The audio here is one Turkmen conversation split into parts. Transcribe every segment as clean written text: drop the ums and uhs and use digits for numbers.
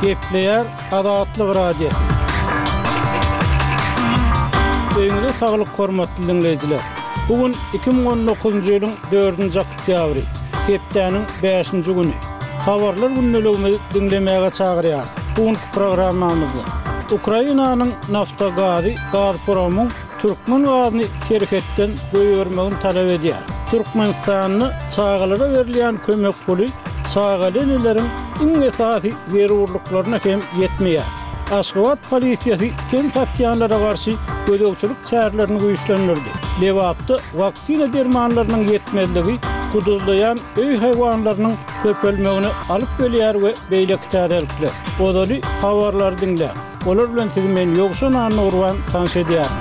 Gepleýär Azatlyk Radiosy. Öýüňize saglyk hormatly diňleýjiler. Bu gün 2019-njy ýylyň dördünji oktýabry, hepdäniň bäşinji güni. Habarlar gündeligimizi diňlemäge çagyrýarys. Bu günki programmamyzda Ukrainanyň Naftogazy Gazpromyň türkmen gazyny serhetden goýbermegini talap edýär. Türkmenistanda çagalara berilýän kömek puly çagaly eneleriň iň esasy zerurlyklaryna hem ýetmeýär. Aşgabat polisiýasy ten satýanlara garşy gözegçilik çärelerini güýçlendirdi. Lebapda waksina dermanlarynyň ýetmezligi guduzlaýan öý haýwanlarynyň köpelmegine alyp gelýär we beýleki täzelikler. Ozaly habarlary diňläň. Olar bilen sizi men Ýowşan Annagurban tanyş edýärin.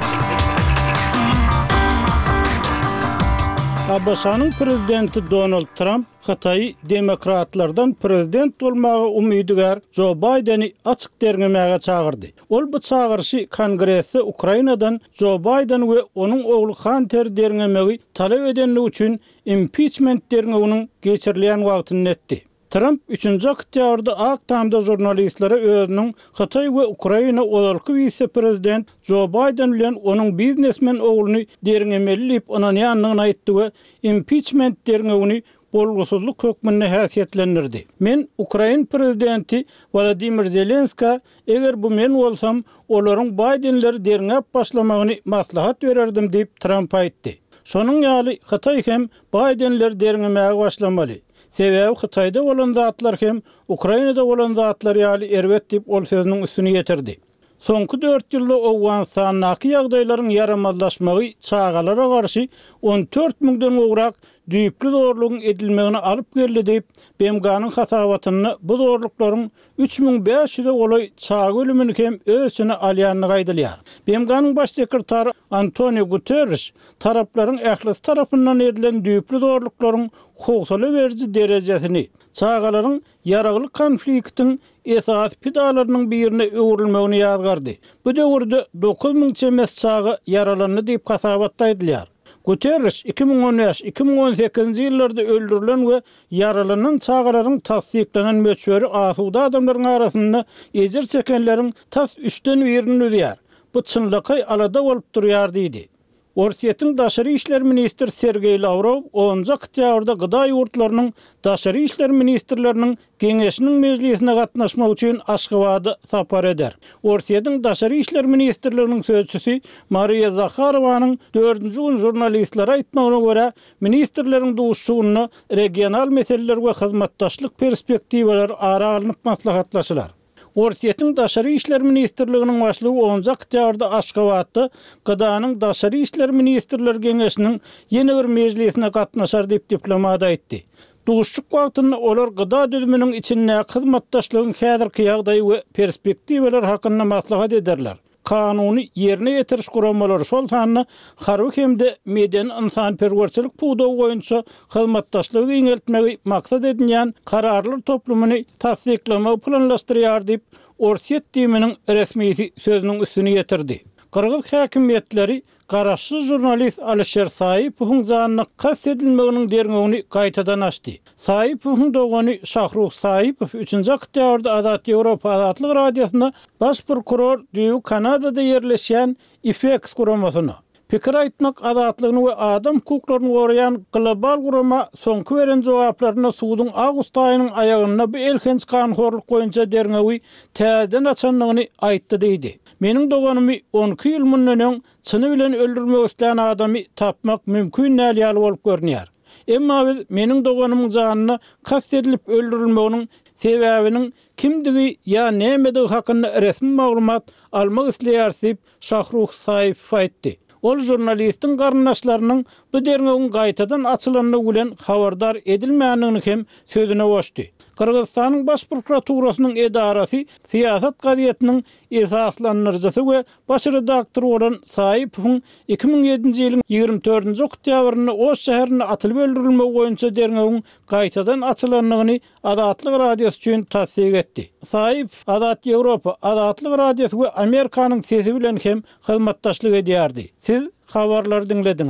ABŞ-nyň prezidenti Donald Tramp Hytaýy demokratlardan prezident bolmaga umydygär Jo Baýdeni açyk derňemäge çagyrdy. Ol bu çagyryşy Kongresde Ukrainadan Jo Baýden we onuň ogly Hanteri derňemegi talap edendigi üçin impiçment derňewiniň geçirilýän wagtynda etdi. Tramp üçünji oktýabrda Ak Tamda žurnalistlere özüniň Hytaý we Ukraina ozalky wise-prezident Jo Baýden bilen onuň biznesmen ogluny derňemeli diýip ynanýandygyny aýtdy we impiçment derňewini bolgusyzlyk hökmünde häsiýetlendirdi. Men ukrain prezidenti Wolodymyr Zelenskä, eger bu men bolsam, olaryň Baýdenleri derňäp başlamagyny maslahat bererdim diýip, Tramp aýtdy. Şonuň ýaly, Hytaý hem Baýdenleri derňemäge başlamaly. Sebäbi Hytaýda bolan zatlar hem Ukrainada bolan zatlar ýaly erbet diýip ol sözüniň üstüni ýetirdi. Soňky dört ýylda Owganystandaky ýagdaýlaryň ýaramazlaşmagy çagalara garşy 14 müňden gowrak düýpli zorlugyň edilmegine alyp geldi diýip, BMG-niň hasabatynda bu zorluklaryň 3500-e golaý çaga ölümini hem öz içine alýandygy aýdylýar. BMG-niň Baş sekretary Antoniu Guterriş taraplaryň ählisi tarapyndan edilen düýpli zorluklaryň howsala beriji derejesini, çagalaryň ýaragly konfliktiň esasy pidalarynyň birine öwrülmegini ýazgardy. Bu döwürde 9000 çemesi çaga ýaralandy diýip hasabatda aýdylýar. Guterriş 2015, 2018-nji ýyllarda öldürilen we ýaralanan çagalaryň tassyklanan möçberi asuda adamlaryň arasynda ejir çekenleriň tas üçden birini düzýär. Bu çynlakaý alada bolup durýar diýdi. Orsýetiň daşary işler ministri Sergeý Lawrow onunjy oktýabrda GDA ýurtlarynyň daşary işler ministrleriniň Geňeşiniň mejlisine gatnaşmak üçin Aşgabada sapar eder. Orsýetiň Daşary işler ministrliginiň sözçüsi Mariýa Zaharowanyň dördünji gün žurnalistlere aýtmagyna görä, ministrleriň duşuşygynda regional meseleler we hyzmatdaşlyk perspektiwalary ara alnyp maslahatlaşylar. Orsýetiň Daşary işler ministrliginiň başlygy onunjy oktýabrda Aşgabatda GDA-nyň Daşary işler ministrler geňeşiniň ýene bir mejlisine gatnaşar diýip diplomat aýtdy. Duşuşyk wagtynda olar GDA düzüminiň içindäki hyzmatdaşlygyň häzirki ýagdaýy we perspektiwalary hakynda maslahat ederler. Kanuny ýerine ýetiriş guramalary, şol sanda harby hem-de medeni-ynsanperwerçilik pudagy boýunça hyzmatdaşlygy giňeltmegi maksat edinýän kararlar toplumyny tassyklamagy planlaşdyrýar diýip, Orsýet DIM-niň resmisi sözüniň üstüni ýetirdi. Gyrgyz häkimiýetleri Garaşsyz žurnalist Alişer Saipowyň janyna kast edilmeginiň derňewini gaýtadan açdy. Saipowyň dogany Şahruh Saipow üçünji oktýabrda Azat Ýewropa Azatlyk Radiosyna baş prokuror düýbi Kanadada ýerleşýän IFEX guramasyna, pikir aýtmak azatlygyny we adam hukuklaryny goraýan global gurama soňky beren jogaplarynda suduň awgust aýynyň aýagynda bu elhenç ganhorluk boýunça derňewi täzeden açandygyny aýtdy diýdi. Meniň doganymy on iki ýyl mundan öň çyny bilen öldürmek islän adamy tapmak mümkin däl ýaly bolup görünýär. Emma biz meniň doganymyň janyna kast edilip öldürilmeginiň sebäbiniň kimdigi ýa nämedigi hakynda resmi maglumat almak isleýäris diýip, Şahruh Saipow aýtdy. Ol žurnalistiň garyndaşlarynyň bu derňewiň gaýtadan açylandygy bilen habardar edilmändigini hem sözüne goşdy. Gyrgyzystanyň Baş prokuraturasynyň edarasy Syýasat gazetiniň esaslandyryjysy we baş redaktory bolan Saipowyň 2007-nji ýylyň 24-nji oktýabrynda Oş şäherinde atylyp öldürilmegi boýunça derňewiň gaýtadan açylandygyny Azatlyk Radiosy üçin tassyk etdi. Saipow Azat Ýewropa, Azatlyk Radiosy we Amerikanyň Sesi bilen hem hyzmatdaşlyk edýärdi. Siz habarlary diňlediňiz.